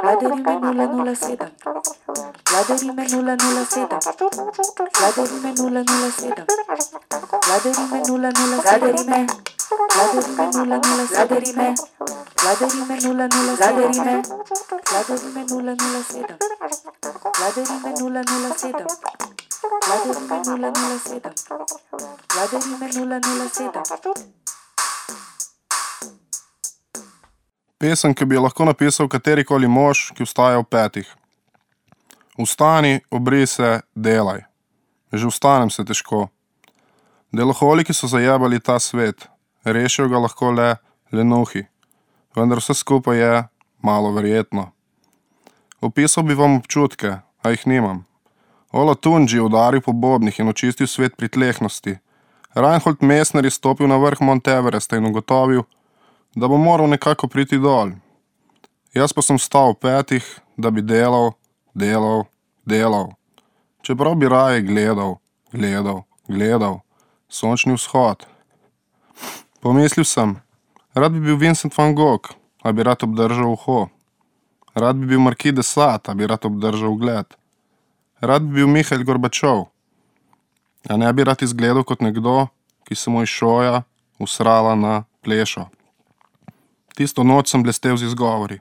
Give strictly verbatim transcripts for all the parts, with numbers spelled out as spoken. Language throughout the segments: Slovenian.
Vladarime nula nula sedem. Vladarime nula nula sedem. Vladarime nula nula sedem. Vladarime nula nula Vladarime. Vladarime nula nula Vladarime. Vladarime nula nula Vladarime. Vladarime nula nula sedem. Vladarime nula nula sedem. Vladarime nula nula sedem. Vladarime nula nula sedem. Pesem, ki bi jo lahko napisal katerikoli mož, ki vstaja ob petih. Vstani, obri se, delaj. Že vstanem se težko. Deloholiki so zajebali ta svet. Rešijo ga lahko le lenuhi. Vendar vse skupaj je malo verjetno. Opisal bi vam občutke, a jih nimam. Ola Tunji je udaril po bobnih in očistil svet pritlehnosti. Reinhold Messner je stopil na vrh Mount Everesta in ugotovil, da bo moral nekako priti dol. Jaz pa sem vstal v petih, da bi delal, delal, delal. Čeprav bi raje gledal, gledal, gledal. Sončni vzhod. Pomislil sem, rad bi bil Vincent van Gogh, a bi rad obdržal uho. Rad bi bil Marquis de Sade, a bi rad obdržal ugled. Rad bi bil Mihail Gorbačov, a ne bi rad izgledal kot nekdo, ki se mu je šoja usrala na plešo. Tisto noč sem blestev z izgovori.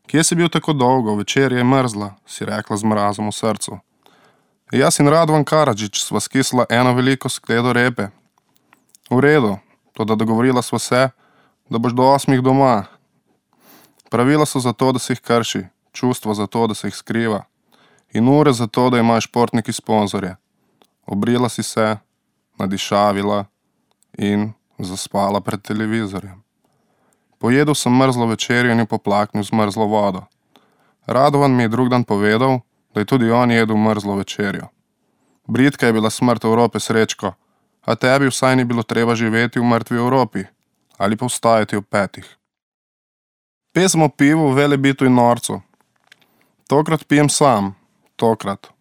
Kje si bil tako dolgo, večer je mrzla, si rekla z mrazom v srcu. Jaz in Radovan Karadžič sva skisla eno veliko skledo repe. V redu, toda dogovorila sva se, da boš do osmih doma. Pravila so zato, da se jih krši, čustva zato, da se jih skriva. In ure zato, da imaš športniki sponzorje. Obrila si se, nadišavila in zaspala pred televizorjem. Pojedel sem mrzlo večerjo in jo poplaknil z mrzlo vodo. Radovan mi je drug dan povedal, da je tudi on jedel mrzlo večerjo. Britka je bila smrt Evrope, Srečko, a tebi vsaj ni bilo treba živeti v mrtvi Evropi ali pa vstajati ob petih. Pesem o pivu, Velebitu in norcu. Tokrat pijem sam, tokrat.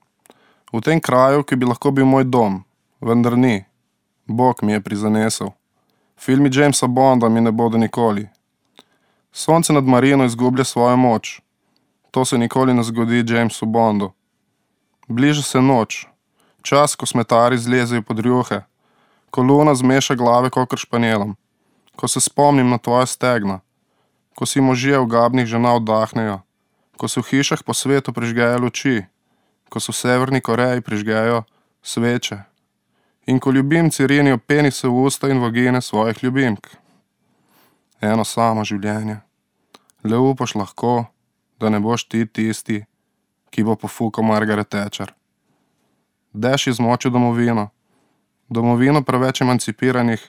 V tem kraju, ki bi lahko bil moj dom, vendar ni. Bog mi je prizanesel. Filmi Jamesa Bonda mi ne bodo nikoli. Sonce nad Marino izgublja svojo moč. To se nikoli ne zgodi Jamesu Bondu. Bliža se noč. Čas, ko smetari zlezejo pod rjuhe. Ko luna zmeša glave kakor španjelom. Ko se spomnim na tvoje stegna. Ko si možje v gabnih žena oddahnejo. Ko se v hišah po svetu prižgejo luči. Ko se v Severni Koreji prižgejo sveče. In ko ljubimci rinijo penise v usta in vagine svojih ljubimk. Eno samo življenje. Le upaš lahko, da ne boš ti tisti, ki bo pofukal Margaret Thatcher. Dež je zmočil domovino. Domovino preveč emancipiranih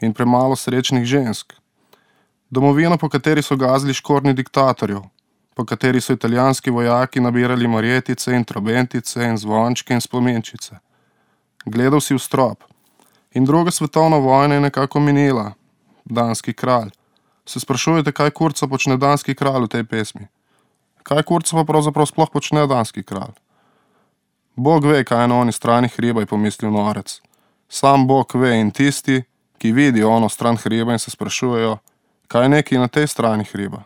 in premalo srečnih žensk. Domovino, po kateri so gazili škornji diktatorjev, po kateri so italijanski vojaki nabirali marjetice in trobentice in zvončke in spominčice. Gledal si v strop. In druga svetovna vojna je nekako minila. Danski kralj. Se sprašujete, kaj kurca počne danski kralj v tej pesmi? Kaj kurca pa pravzaprav sploh počne danski kralj? Bog ve, kaj je na oni strani hriba, je pomislil norec. Sam Bog ve in tisti, ki vidijo ono stran hriba in se sprašujejo, kaj je neki na tej strani hriba.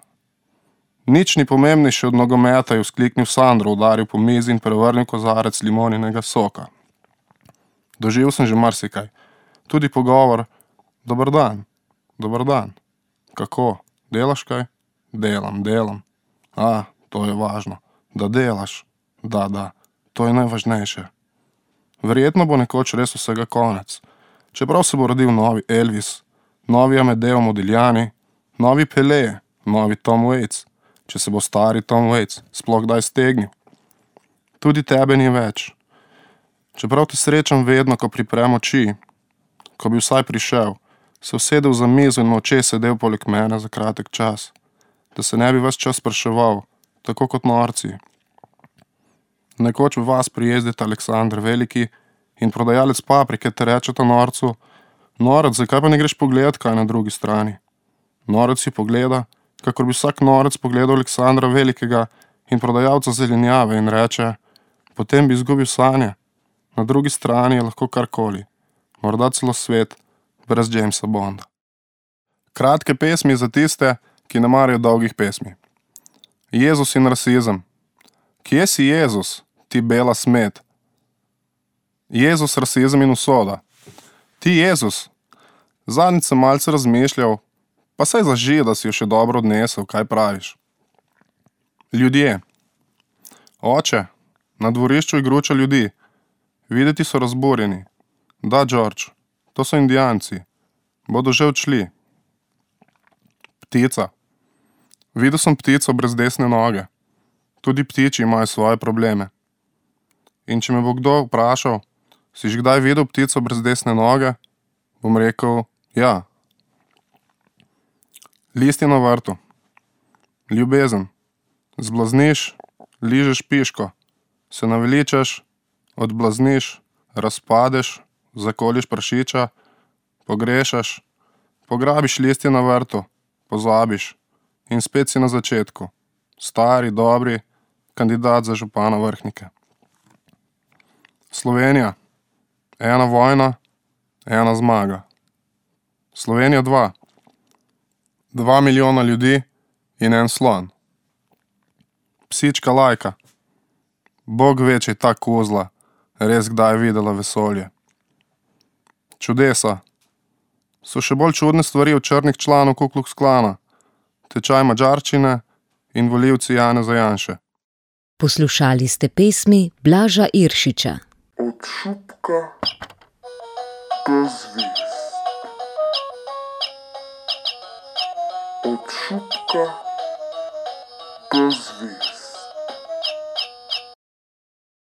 Nič ni pomembnejše od nogometa, je vzkliknil Sandro, udaril po mizi in prevrnil kozarec limoninega soka. Doživel sem že marsikaj. Tudi pogovor, dober dan, dober dan. Kako, delaš kaj? Delam, delam. A, to je važno. Da delaš. Da, da, to je najvažnejše. Verjetno bo nekoč res vsega konec. Čeprav se bo rodil novi Elvis, novi Amedeo Modigliani, novi Pelé, novi Tom Waits, če se bo stari Tom Waits sploh kdaj stegnil. Tudi tebe ni več. Čeprav te srečam vedno, ko priprem oči, ko bi vsaj prišel, se usedel za mizo in molče sedel poleg mene za kratek čas, da se ne bi ves čas spraševal, tako kot norci. Nekoč v vas prijezdita Aleksandr Veliki in prodajalec paprike te rečeta norcu, norec, zakaj pa ne greš pogledat, kaj na drugi strani? Norec si pogleda, kakor bi vsak norec pogledal Aleksandra Velikega in prodajalca zelenjave in reče, potem bi izgubil sanje. Na drugi strani je lahko karkoli, morda celo svet, brez Jamesa Bonda. Kratke pesmi za tiste, ki ne marajo dolgih pesmi. Jezus in rasizem. Kje si Jezus, ti bela smet? Jezus, rasizem in usoda. Ti Jezus. Zadnjič sem malce razmišljal, pa saj zaži, da si jo še dobro odnesel, kaj praviš. Ljudje. Oče, na dvorišču igruča ljudi. Videti so razburjeni. Da, George, to so Indijanci. Bodo že odšli. Ptica. Videl sem ptico brez desne noge. Tudi ptiči imajo svoje probleme. In če me bo kdo vprašal, si že kdaj videl ptico brez desne noge, bom rekel, ja. Listi na vrtu. Ljubezen. Zblazniš, ližeš piško, se naveličaš, odblazniš, razpadeš, zakoliš prašiča, pogrešaš, pograbiš listje na vrtu, pozabiš in spet si na začetku. Stari, dobri, kandidat za župana Vrhnike. Slovenija. Ena vojna, ena zmaga. Slovenija dva. Dva milijona ljudi in en slon. Psička Lajka. Bog ve, če je ta kozla res kdaj videla vesolje. Čudesa. So še bolj čudne stvari od črnih članov Ku Klux Klana, tečaj madžarščine in volivci Janeza Janše. Poslušali ste pesmi Blaža Iršiča. Od šupka do zvezd. Od šupka do zvezd.